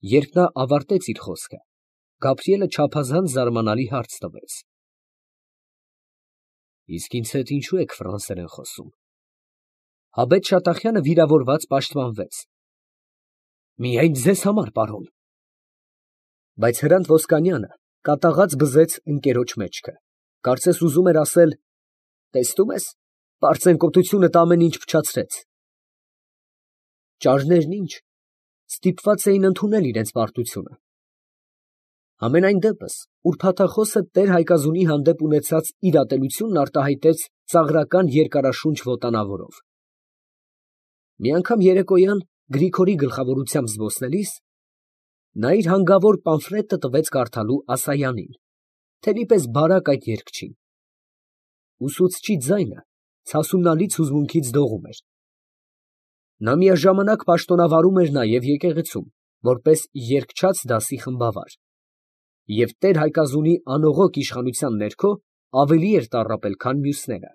Երբ նա ավարտեց իր խոսքը, Գաբրիելը չափազանց զարմանալի հարց տվեց. Իսկ ինձ հետ ինչու եք ֆրանսերեն խոսում։ Հաբետ Շատախյանը վիրավորված պաշտպանվեց. Միայն ձեզ համար, պարոն։ Բայց Հրանտ Ոսկանյանը կատաղած բզեց ընկերոջ մեջքը, կարծես ուզում էր ասել. տեսնում ես, պարծենկոտությունդ ամեն ինչ փչացրեց։ Ճարներն ինչ, ստիպված էին ընդունել իրենց պարտությունը։ Համենայն դեպս, ուրբաթախոսը տեր Հայկազունի հանդեպ ունեցած իր ատելությունն արտահայտեց ծաղրական երկարաշունչ ոտանավորով։ Մի անգամ երեկոյան Գրիգորի գլխավորությամբ զբոսնելիս, նա իր հանգավոր պամֆլետը տվեց կարդալու Ասայանին, թելի պես բարակ այդ երգչին։ Ուսուցչի ձայնը ցասունալից հուզմունքից դողում էր։ Նա միաժամանակ պաշտոնավարում էր նաև եկեղեցում, որպես երգչաց դասի խմբավար, և տեր Հայկազունի անողոք իշխանության ներքո ավելի էր տառապել, քան մյուսները։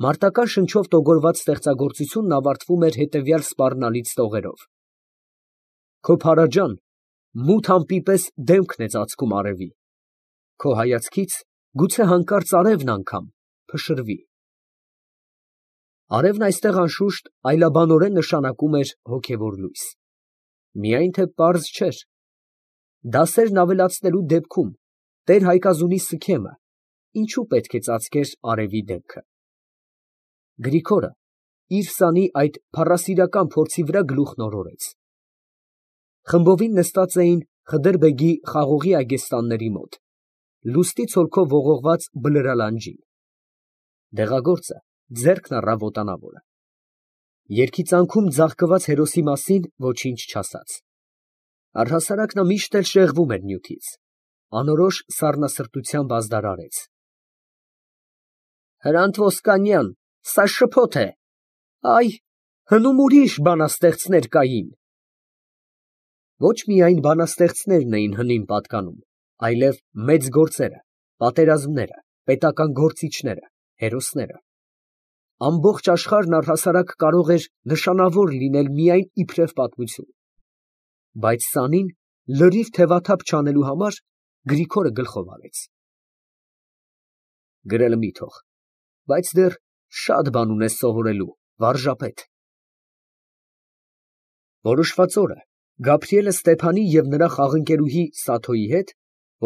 Մարտական շնչով տոգորված ստեղծագործությունն ավարտվում էր հետևյալ սպառնալից տողերով. Քո փարաջան մութ ամպի պես դեմքն է ծածկում արևի, քո հայացքից գուցե հանկարծ արևն անգամ փշրվի։ Արևն այստեղ անշուշտ այլաբանորեն նշանակում էր հոգևոր լույս, միայն թե պարզ չէր. դասերն ավելացնելու դեպքում տեր Հայկազունի սքեմը ինչու պետք է ծածկեր արևի դեմքը։ Գրիգորը իր սանի այդ փառասիրական փորձի վրա գլուխն օրորեց։ Խմբովին նստած էին Խդրբեգի խաղողի այգեստանների մոտ, լուստի ցոլքով ողողված բլրալանջին։ Դեղագործը ձեռքն առավ ոտանավորը։ Երգի ծանքում ձաղկված հերոսի մասին ոչինչ չասաց։ Առհասարակ նա միշտ էլ շեղվում էր նյութից, անորոշ սառնասրտությամբ ազդարարեց. Հրանտ Ոսկանյան, սա շփոթ է, այ, հնում ուրիշ բանաստեղծներ կային։ Ոչ միայն բանաստեղծներն էին հնին պատկանում, այլև մեծ գործերը, պատերազմները, պետական գործիչները, հերոսները։ Ամբողջ աշխարհն առհասարակ կարող էր նշանավոր լինել միայն իբրև պատմություն։ Բայց սանին լրիվ թևաթափ չանելու համար Գրիգորը գլխով արեց. Գրելը մի թող, բայց դեռ շատ բան ունես սովորելու, վարժապետ։ Որոշված օրը Գաբրիելը Ստեփանի և նրա խաղընկերուհի Սաթոյի հետ,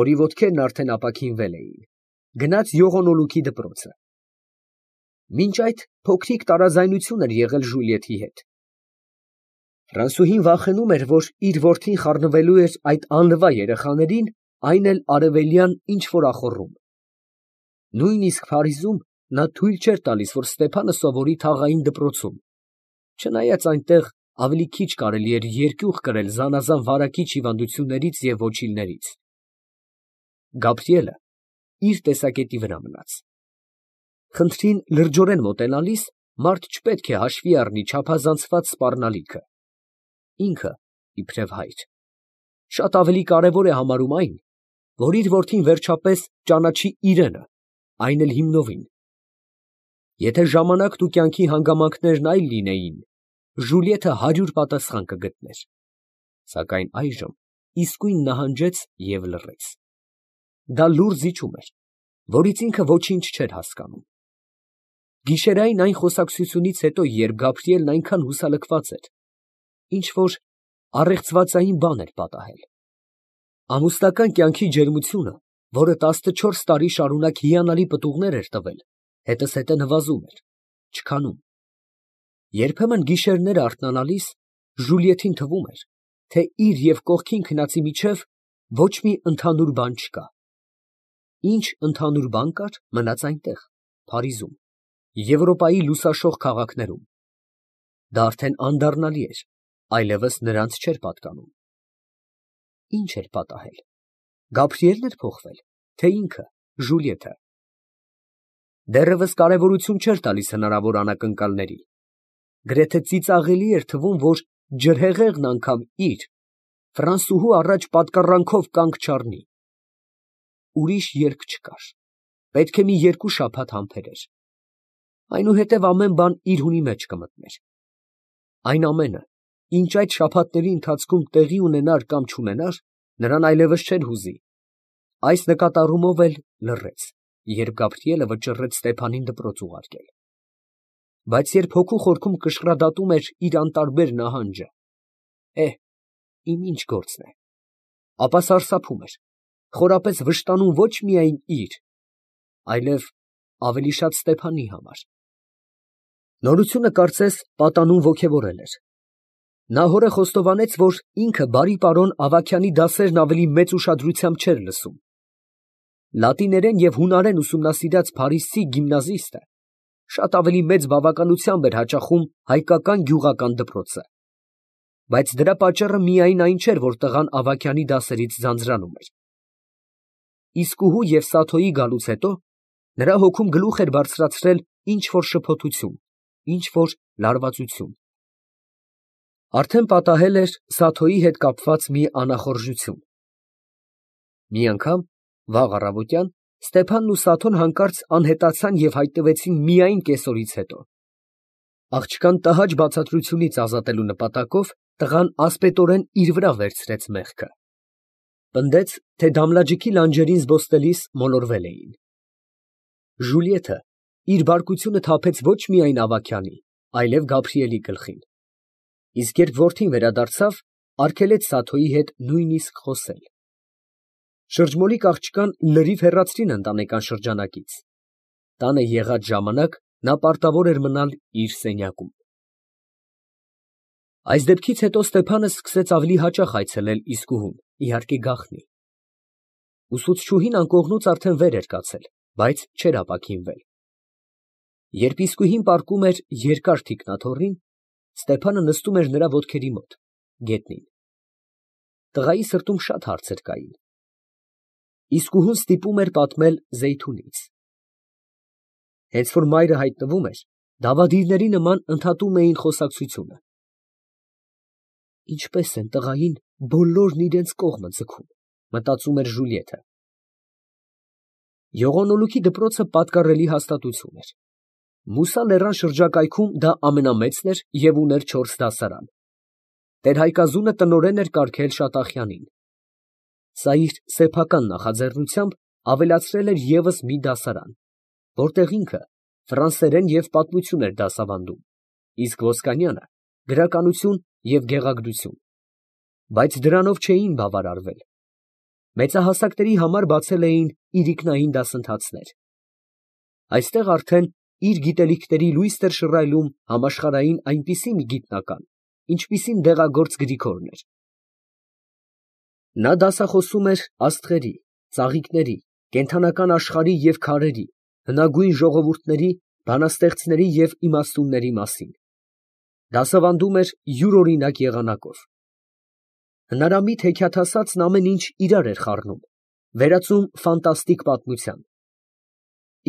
որի ոտքերն արդեն ապաքինվել էին, գնաց Յողոնոլուքի դպրոցը։ Մինչ այդ փոքրիկ տարաձայնություն էր եղել Ժուլիեթի հետ։ Ֆրանսուհին վախենում էր, որ իր որդին խառնվելու էր այդ անլվա երեխաներին, այն էլ արևելյան ինչ֊որ ախոռում։ Նույնիսկ Փարիզում նա թույլ չէր տալիս, որ Ստեփանը սովորի թաղային դպրոցում, չնայած այնտեղ ավելի քիչ կարելի էր երկյուղ կրել զանազան վարակիչ հիվանդություններից և ոչիլներից։ Գաբրիելը իր տեսակետի վրա մնաց։ Խնդրին լրջորեն մոտենալիս մարդ չպետք է հաշվի առնի չափազանցված սպառնալիքը։ Ինքը, իբրև հայր, շատ ավելի կարևոր է համարում այն, որ իր որդին վերջապես ճանաչի իրենը, այն էլ հիմնովին։ Եթե ժամանակն ու կյանքի հանգամանքներն այլ լինեին, Ժուլիեթը 100 պատասխան կգտներ, սակայն այժմ իսկույն նահանջեց և լռեց։ Դա լուռ զիջում էր, որից ինքը ոչինչ չէր հասկանում։ Գիշերային այն խոսակցությունից հետո, երբ Գաբրիելն այնքան հուսալքված էր, ինչ֊որ առեղծվածային բան էր պատահել։ Ամուսնական կյանքի ջերմությունը, որը 14 տարի շարունակ հիանալի պտուղներ էր տվել, հետզհետե նվազում էր, չքանում։ Երբեմն գիշերները արթնանալիս Ժուլիեթին թվում էր, թե իր և կողքին քնածի միջև ոչ մի ընդհանուր բան չկա։ Ինչ ընդհանուր բան կար, մնաց այնտեղ, Փարիզում, Եվրոպայի լուսաշող քաղաքներում։ Դա արդեն անդառնալի էր, այլևս նրանց չէր պատկանում։ Ինչ էր պատահել։ Գաբրիելն էր փոխվել, թե ինքը, Ժուլիեթը։ Դեռևս կարևորություն չէր տալիս հնարավոր անակնկալների։ Գրեթե ծիծաղելի էր թվում, որ ջրհեղեղն անգամ իր, ֆրանսուհու առաջ պատկառանքով կանգ չառնի։ Ուրիշ երկ չկար, պետք է մի 2 շաբաթ համբերեր, այնուհետև ամեն բան իր հունի մեջ կմտներ։ Այն ամենը, ինչ այդ շաբաթների ընթացքում տեղի ունենար կամ չունենար, նրան այլևս չէր հուզի, այս նկատառումով էլ լռեց, երբ Գաբրիելը վճռեց Ստեփանին դպրոց ուղարկել. բայց երբ հոգու խորքում կշռադատում էր իր անտարբեր նահանջը, իմ ինչ գործն է, ապա սարսափում էր, խորապես վշտանում ոչ միայն իր, այլև ավելի շատ Ստեփանի համար։ Նորությունը կարծես պատանում ոգևորել էր։ Նա հորը խոստովանեց, որ ինքը բարի պարոն Ավագյանի դասերն ավելի մեծ ուշադրությամբ չէր լսում։ Լատիներեն և հունարեն ուսումնասիրած փարիսցի գիմնազիստը շատ ավելի մեծ բավականությամբ էր հաճախում հայկական գյուղական դպրոցը, բայց դրա պատճառը միայն այն չէր, որ տղան Ավագյանի դասերից ձանձրանում էր։ Իսկուհու և Սաթոյի գալուց հետո նրա հոգում գլուխ էր բարձրացրել ինչ֊որ շփոթություն, ինչ֊որ լարվածություն։ Արդեն պատահել էր Սաթոյի հետ կապված մի անախորժություն։ Մի անգամ, վաղ առավոտյան, Ստեփանն ու Սաթոն հանկարծ անհետացան և հայտնվեցին միայն կեսօրից հետո։ Աղջկան տհաճ բացատրությունից ազատելու նպատակով տղան ասպետորեն իր վրա վերցրեց մեղքը։ Պնդեց, թե դամլաջիքի լանջերին զբոսնելիս մոլորվել էին։ Ժուլիեթը իր բարկությունը թափեց ոչ միայն Ավագյանի, այլև Գաբրիելի գլխին։ Իսկ երբ որդին վերադարձավ, արգելեց Սաթոյի հետ նույնիսկ խոսել։ Շրջմոլիկ աղջկան լրիվ հեռացրին ընտանեկան շրջանակից։ Տանը եղած ժամանակ նա պարտավոր էր մնալ իր սենյակում։ Այս դեպքից հետո Ստեփանը սկսեց ավելի հաճախ այցելել իսկուհուն, իհարկե գաղտնի։ Ուսուցչուհին անկողնուց արդեն վեր էր կացել, բայց չէր ապաքինվել։ Երբ իսկուհին պառկում էր երկար թիկնաթոռին, Ստեփանը նստում էր նրա ոտքերի մոտ, գետնին։ Տղայի սրտում շատ հարցեր կային։ Իսկուհուն ստիպում էր պատմել Զեյթունից։ Հենց որ մայրը հայտնվում էր, դավադիրների նման ընդհատում էին խոսակցությունը։ Ինչպես են տղային բոլորն իրենց կողմը ձգում, մտածում էր Ժուլիեթը։ Եղոնոլուքի դպրոցը պատկառելի հաստատություն էր։ Մուսա լեռան շրջակայքում դա ամենամեծն էր և ուներ 4 դասարան։ Տեր֊Հայկազունը տնօրեն էր կարգել Շատախյանին։ Սա իր սեփական նախաձեռնությամբ ավելացրել էր ևս մի դասարան, որտեղ ինքը ֆրանսերեն և պատմություն էր դասավանդում, իսկ Ոսկանյանը գրականություն և գեղագրություն, բայց դրանով չէին բավարարվել։ Մեծահասակների համար բացել էին իրիկնային դասընթացներ։ Այստեղ արդեն իր գիտելիքների լույս էր շռայլում համաշխարհային այնպիսի մի գիտնական, ինչպիսին դեղագործ Գրիգորն էր։ Նա դասախոսում էր աստղերի, ծաղիկների, կենդանական աշխարհի և քարերի, հնագույն ժողովուրդների, բանաստեղծների և իմաստունների մասին։ Դասավանդում էր յուրօրինակ եղանակով։ Հնարամիտ հեքիաթասացն ամեն ինչ իրար էր խառնում, վերածում ֆանտաստիկ պատմության։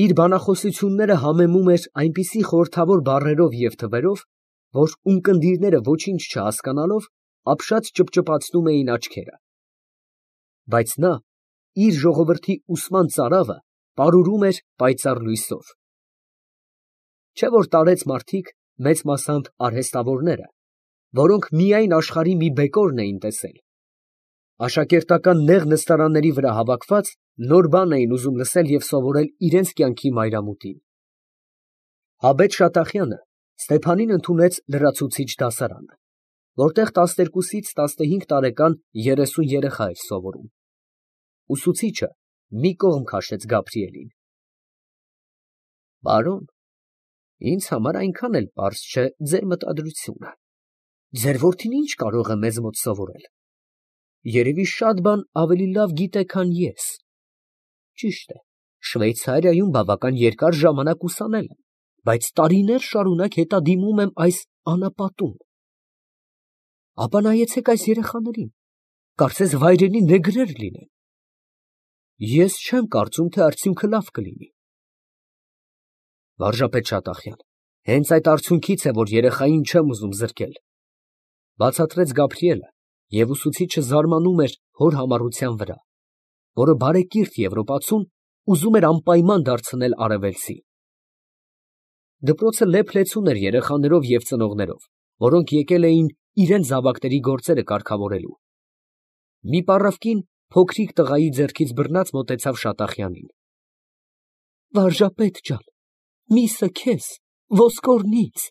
Իր բանախոսությունները համեմում էր այնպիսի խորհրդավոր բառերով և թվերով, որ ունկնդիրները ոչինչ չհասկանալով ապշած ճպճպացնում էին աչքերը։ Բայց նա իր ժողովրդի ուսման ծարավը պարուրում էր պայծառ լույսով։ Չէ՞ որ տարեց մարդիկ, մեծ մասամբ արհեստավորները, որոնք միայն աշխարհի մի բեկորն էին տեսել, աշակերտական նեղ նստարանների վրա հավաքված, նոր բան էին ուզում լսել և սովորել իրենց կյանքի մայրամուտին։ Հաբեթ Շատախյանը Ստեփանին ընդունեց լրացուցիչ դասարանը, որտեղ 12-ից 15 տարեկան 30 երեխա էր սովորում։ Ուսուցիչը մի կողմ քաշեց Գաբրիելին։ Պարոն, ինձ համար այնքան էլ պարզ չէ ձեր մտադրությունը։ Ձեր որդին ինչ կարող է մեզ մոտ սովորել։ Երևի շատ բան ավելի լավ գիտե, քան ես։ Ճիշտ է, Շվեյցարիայում բավական երկար ժամանակ ուսանել եմ, բայց տարիներ շարունակ հետադիմում եմ այս անապատում։ Ապա նայեցեք այս երեխաներին, կարծես վայրենի նեգրեր լինեն։ Ես չեմ կարծում, թե արդյունքը լավ կլինի։ Վարժապետ Շատախյան, հենց այդ արդյունքից է, որ երեխային չեմ ուզում զրկել, բացատրեց Գաբրիելը, և ուսուցիչը զարմանում էր հոր համառության վրա, որը բարեկիրթ եվրոպացուն ուզում էր անպայման դարձնել արևելցի։ Դպրոցը լեփ֊լեցուն էր երեխաներով և ծնողներով, որոնք եկել էին իրեն զավակների գործերը կարգավորելու։ Մի պառավկին փոքրիկ տղայի ձեռքից բռնած մոտեցավ Շատախյանին։ Վարժապետ ջան, միսը քեզ, ոսկորնից,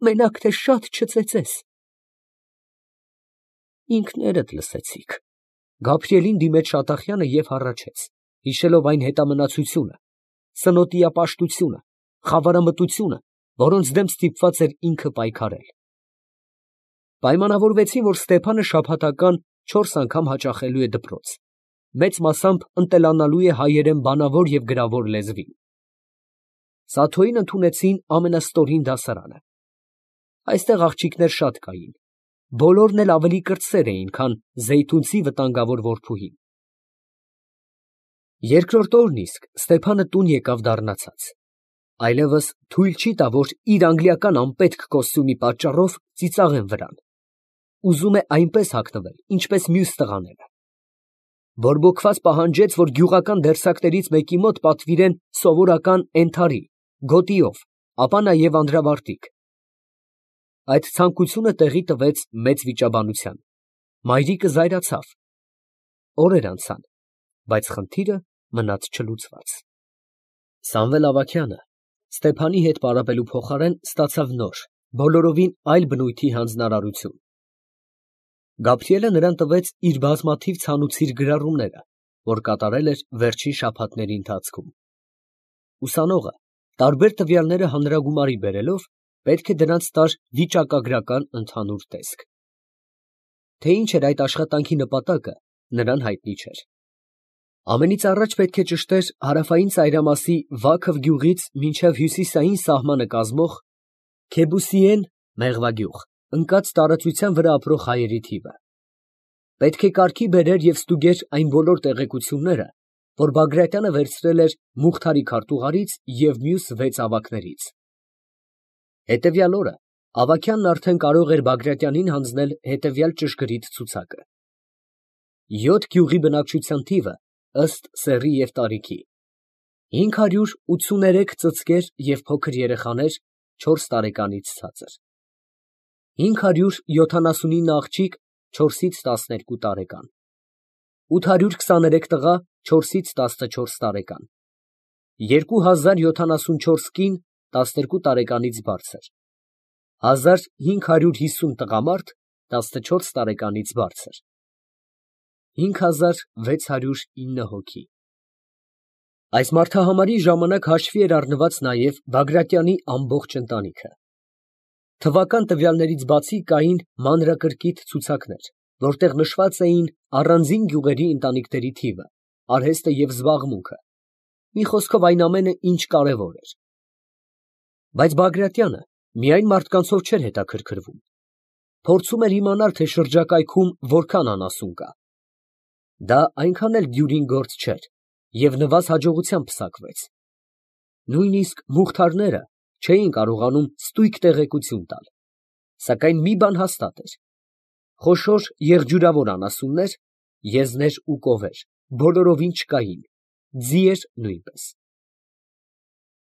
մենակ թե շատ չծեծես։ Ինքներդ լսեցիք։ Գաբրիելին դիմեց Շատախյանը և հառաչեց, հիշելով այն հետամնացությունը, սնոտիապաշտությունը, խավարամտությունը, որոնց դեմ ստիպված էր ինքը պայքարել։ Պայմանավորվեցին, որ Ստեփանը շաբաթական 4 անգամ հաճախելու է դպրոց, մեծ մասամբ ընտելանալու է հայերեն բանավոր և գրավոր լեզվին։ Սաթոյին ընդունեցին ամենաստորին դասարանը։ Այստեղ աղջիկներ շատ կային, բոլորն էլ ավելի կրտսեր էին, քան Զեյթունցի վտանգավոր որդուհին։ Երկրորդ օրն իսկ Ստեփանը տուն եկավ դառնացած, այլևս թույլ չի տա, որ իր անգլիական անպետք կոստյումի պատճառով ծիծաղեն վրան։ Ուզում է այնպես հագնվել, ինչպես մյուս տղաները։ Բորբոքված պահանջեց, որ գյուղական դերսակներից մեկի մոտ պատվիրեն սովորական էնթարի, գոտիով, ապա նաև անդրավարտիք։ Այդ ցանկությունը տեղի տվեց մեծ վիճաբանության։ Մայրիկը զայրացավ։ Օրեր անցան, բայց խնդիրը մնաց չլուծված։ Սամվել Ավագյանը Ստեփանի հետ պարապելու փոխարեն ստացավ նոր, բոլորովին այլ բնույթի հանձնարարություն։ Գաբրիելը նրան տվեց իր բազմաթիվ ցանուցիր գրառումները, որ կատարել էր վերջին շաբաթների ընթացքում։ Ուսանողը, տարբեր տվյալները հանրագումարի բերելով, պետք է դրանց տար վիճակագրական ընդհանուր տեսք։ Թե ինչ էր այդ աշխատանքի նպատակը, նրան հայտնի չէր։ Ամենից առաջ պետք է ճշտեր հարավային ծայրամասի Վաքև գյուղից մինչև հյուսիսային սահմանը կազմող Քեբուսիեն մեղվագյուղ ընկած տարածության վրա ապրող հայերի թիվը։ Պետք է կարգի բերեր և ստուգեր այն բոլոր տեղեկությունները, որ Բագրատյանը վերցրել էր Մուխթարի քարտուղարից և մյուս 6 ավագներից։ Հետևյալ օրը Ավագյանն արդեն կարող էր Բագրատյանին հանձնել հետևյալ ճշգրիտ ցուցակը. 7 գյուղի բնակչության թիվը ըստ սեռի և տարիքի. 583 ծծկեր և փոքր երեխաներ 4 տարեկանից ցածր, 579 աղջիկ 4-ից 12 տարեկան, 823 տղա 4-ից 14 տարեկան, 2074 կին 12 տարեկանից բարձր, 1550 տղամարդ 14 տարեկանից բարձր, 5609 հոգի։ Այս մարդահամարի ժամանակ հաշվի էր առնված նաև Բագրատյանի ամբողջ ընտանիքը։ Թվական տվյալներից բացի կային մանրակրկիտ ցուցակներ, որտեղ նշված էին առանձին գյուղերի ընտանիքների թիվը, արհեստը և զբաղմունքը, մի խոսքով այն ամենը, ինչ կարևոր էր։ Բայց Բագրատյանը միայն մարդկանցով չէր հետաքրքրվում, փորձում էր իմանալ, թե շրջակայքում որքան անասուն կա։ Դա այնքան էլ դյուրին գործ չէր և նվազ հաջողությամբ պսակվեց։ Նույնիսկ մուխթարները չէին կարողանում ստույգ տեղեկություն տալ, սակայն մի բան հաստատ էր. խոշոր եղջյուրավոր անասուններ, եզներ ու կովեր բոլորովին չկային, ձիեր նույնպես։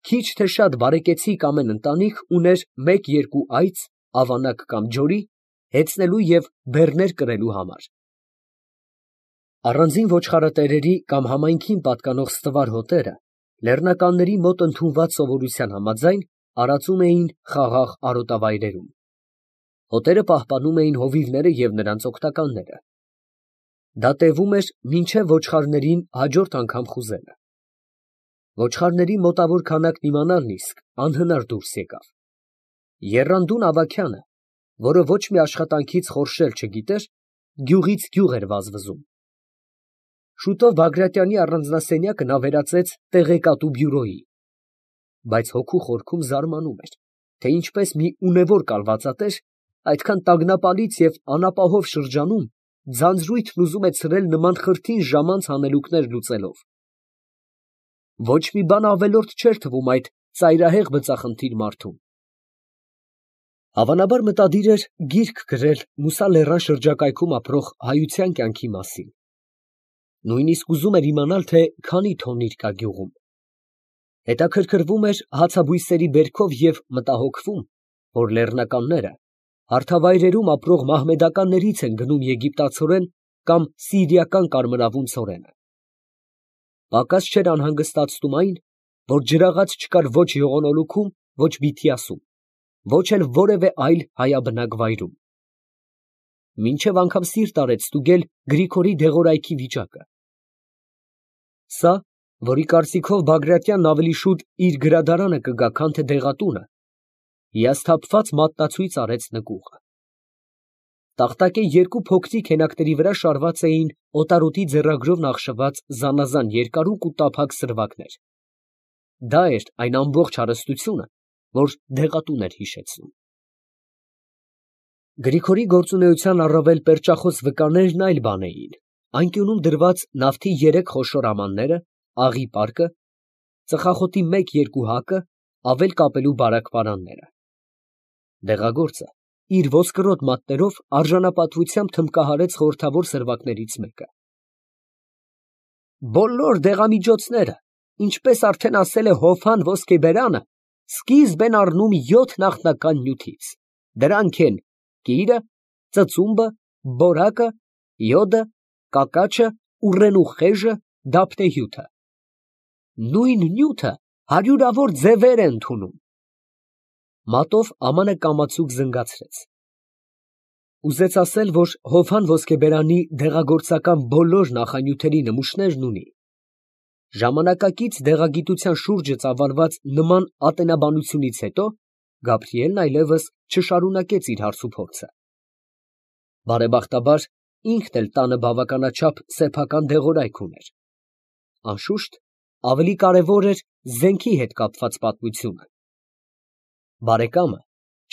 Քիչ թե շատ բարեկեցիկ ամեն ընտանիք ուներ 1-2 այծ, ավանակ կամ ջորի, հեծնելու և բեռներ կրելու համար։ Առանձին ոչխարատերերի կամ համայնքին պատկանող ստվար հոտերը լեռնականների մոտ ընդունված սովորության համաձայն արածում էին խաղաղ արոտավայրերում։ Հոտերը պահպանում էին հովիվները և նրանց օգտականները։ Դա տևում էր մինչև ոչխարներին հաջորդ անգամ խուզելը։ Ոչխարների մոտավոր քանակն իմանալն իսկ անհնար դուրս եկավ։ Եռանդուն Ավագյանը, որը ոչ մի աշխատանքից խորշել չգիտեր, գյուղից գյուղ էր վազվզում։ Շուտով Բագրատյանի առանձնասենյակը նա վերածեց տեղեկատու բյուրոյի, բայց հոգու խորքում զարմանում էր, թե ինչպես մի ունևոր կալվածատեր այդքան տագնապալից և անապահով շրջանում ձանձրույթն ուզում է ցրել նման խրթին ժամանց հանելուկներ լուծելով։ Ոչ մի բան ավելորդ չէր թվում այդ ծայրահեղ բծախնդիր մարդուն։ Հավանաբար մտադիր էր գիրք գրել Մուսա լեռան շրջակայքում ապրող հայության կյանքի մասին։ Նույնիսկ ուզում էր իմանալ, թե քանի թոնիր կա գյուղում։ Հետաքրքրվում էր հացաբույսերի բերքով և մտահոգվում, որ լեռնականները Հարթավայրերում ապրող մահմեդականներից են գնում եգիպտացորեն կամ սիրիական կարմրավուն ցորենը։ Պակաս չէր անհանգստացնում այն, որ ջրաղաց չկար ոչ Եղոնոլուքում, ոչ Բիթիասում, ոչ էլ որևէ այլ հայաբնակ վայրում։ Մինչև անգամ սիրտ արեց ստուգել Գրիգորի դեղորայքի վիճակը։ Սա, որի կարծիքով Բագրատյանն ավելի շուտ իր գրադարանը կգա, քան թե դեղատունը, հիասթափված մատնացույց արեց նկուղը։ Տախտակե երկու փոքրիկ հենակների վրա շարված էին օտարոտի ձեռագրով նախշված զանազան երկարուկ ու տափակ սրվակներ։ Դա էր այն ամբողջ հարստությունը, որ դեղատուն էր հիշեցնում։ Գրիգորի գործունեության առավել պերճախոս վկաներն այլ բան էին. անկյունում դրված նավթի 3 խոշոր ամանները, աղի պարկը, ծխախոտի 1-2 հակը, ավել կապելու բարակ պարանները։ Դեղագործը իր ոսկրոտ մատներով արժանապատվությամբ թմբկահարեց խորհրդավոր սրվակներից մեկը։ Բոլոր դեղամիջոցները, ինչպես արդեն ասել է Հոֆան ոսկեբերանը, սկիզբ են առնում 7 նախնական նյութից. դրանք են կիրը, ծծումբը, բորակը, յոդը, կակաչը, ուռենու խեժը, դափնեհյութը։ Նույն նյութը հարյուրավոր ձևեր է ընդունում։ Մատով ամանը կամացուկ զնգացրեց։ Ուզեց ասել, որ Հոֆան ոսկեբերանի դեղագործական բոլոր նախանյութերի նմուշներն ունի։ Ժամանակակից դեղագիտության շուրջը ծավալված նման ատենաբանությունից հետո Գաբրիելն այլևս չշարունակեց իր հարցուփորձը։ Բարեբախտաբար ինքն էլ տանը բավականաչափ սեփական դեղորայք ուներ։ Անշուշտ, ավելի կարևոր էր զենքի հետ կապված պատմությունը։ Բարեկամը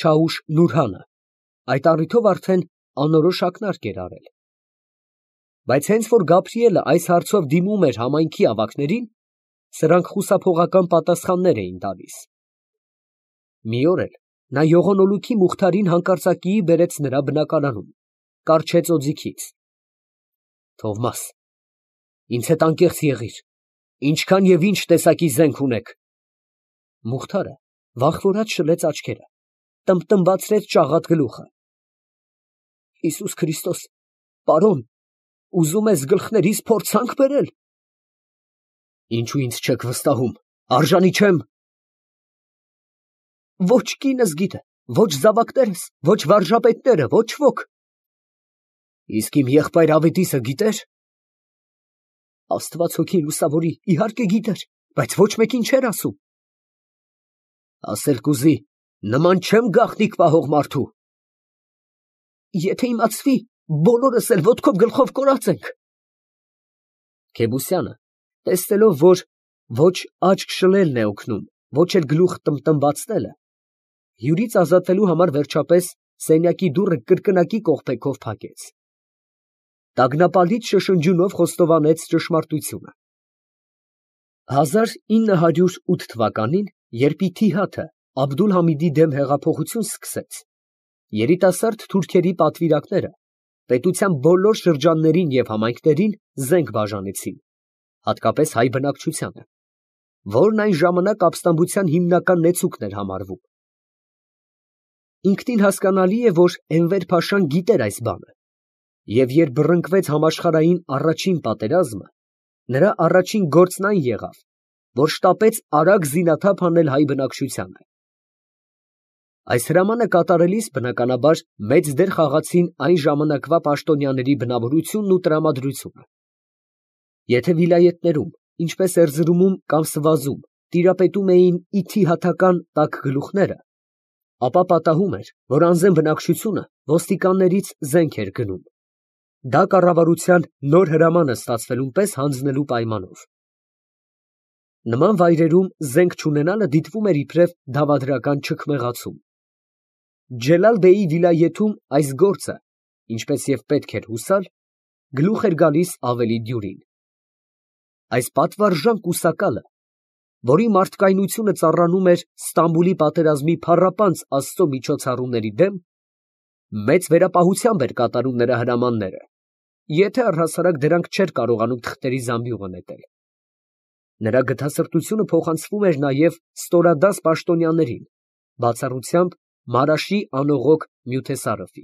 Չաուշ Նուրհանը այդ առիթով արդեն անորոշ ակնարկ էր արել։ Բայց հենց որ Գաբրիելը այս հարցով դիմում էր համայնքի ավագներին, սրանք խուսափողական պատասխաններ էին տալիս։ Մի օր էլ նա Եղոնոլուքի Մուխթարին հանկարծակիի բերեց նրա բնակարանում, կառչեց օձիքից. Թովմաս, ինձ հետ անկեղծ եղիր, ինչքան և ինչ տեսակի զենք ունեք։ Մուխթարը վախվորած շլեց աչքերը, տմբտմբացրեց ճաղատ գլուխը։ Հիսուս Քրիստոս, պարոն, ուզում ես գլխներիս փորձանք բերել։ Ինչու ինձ չեք վստահում, արժանի չեմ։ Ոչ կինս գիտե, ոչ զավակներս, ոչ վարժապետները, ոչ ոք։ Իսկ իմ եղբայր ավետիսը գիտեր։ Աստված հոգին լուսավորի, իհարկե գիտեր, բայց ոչ մեկին չէր ասում։ Ասել կուզի, նման չեմ գաղտնիք պահող մարդու։ Եթե իմացվի, բոլորս էլ ոտքով գլխով կորած ենք։ Քեբուսյանը, տեսնելով, որ ոչ աչք շլելն է օգնում, ոչ էլ գլուխ տմբտմբացնելը, հյուրից ազատվելու համար վերջապես սենյակի դուռը կրկնակի կողպեքով փակեց։ Տագնապալից շշնջյունով խոստովանեց ճշմարտությունը։ 1908 թվականին, երբ Իթիհադը Աբդուլ֊Համիդի դեմ հեղափոխություն սկսեց, երիտասարդ թուրքերի պատվիրակները պետության բոլոր շրջաններին և համայնքներին զենք բաժանեցին, հատկապես հայ բնակչությանը, որն այն ժամանակ ապստամբության հիմնական նեցուկն էր համարվում։ Ինքնին հասկանալի է, որ Էնվեր փաշան գիտեր այս բանը, և երբ բռնկվեց համաշխարհային առաջին պատերազմը, նրա առաջին գործն այն եղավ, որ շտապեց արագ զինաթափ անել հայ բնակչությանը։ Այս հրամանը կատարելիս, բնականաբար, մեծ դեր խաղացին այն ժամանակվա պաշտոնյաների բնավորությունն ու տրամադրությունը։ Եթե վիլայեթներում, ինչպես Էրզրումում կամ Սվազում, տիրապետում էին իթիհաթական տաք գլուխները, ապա պատահում էր, որ անզեն բնակչությունը ոստիկաններից զենք էր գնում։ Դա կառավարության նոր հրամանը ստացվելուն պես հանձնելու պայմանով։ Նման վայրերում զենք չունենալը դիտվում էր իբրև դավադրական չքմեղացում։ Ջելալ֊բեյի վիլայեթում այս գործը, ինչպես և պետք էր հուսալ, գլուխ էր գալիս ավելի դյուրին։ Այս պատվարժան կուսակալը, որի մարդկայնությունը ծառանում էր Ստամբուլի պատերազմի փառապանծ Աստծո միջոցառումների դեմ, մեծ վերապահությամբ էր կատարում նրա հրամանները, եթե առհասարակ դրանք չէր կարողանում թղթերի զամբյուղը նետել։ Նրա գթասրտությունը փոխանցվում էր նաև ստորադաս պաշտոնյաներին, բացառությամբ Մարաշի անողոք նյութեսարըվի։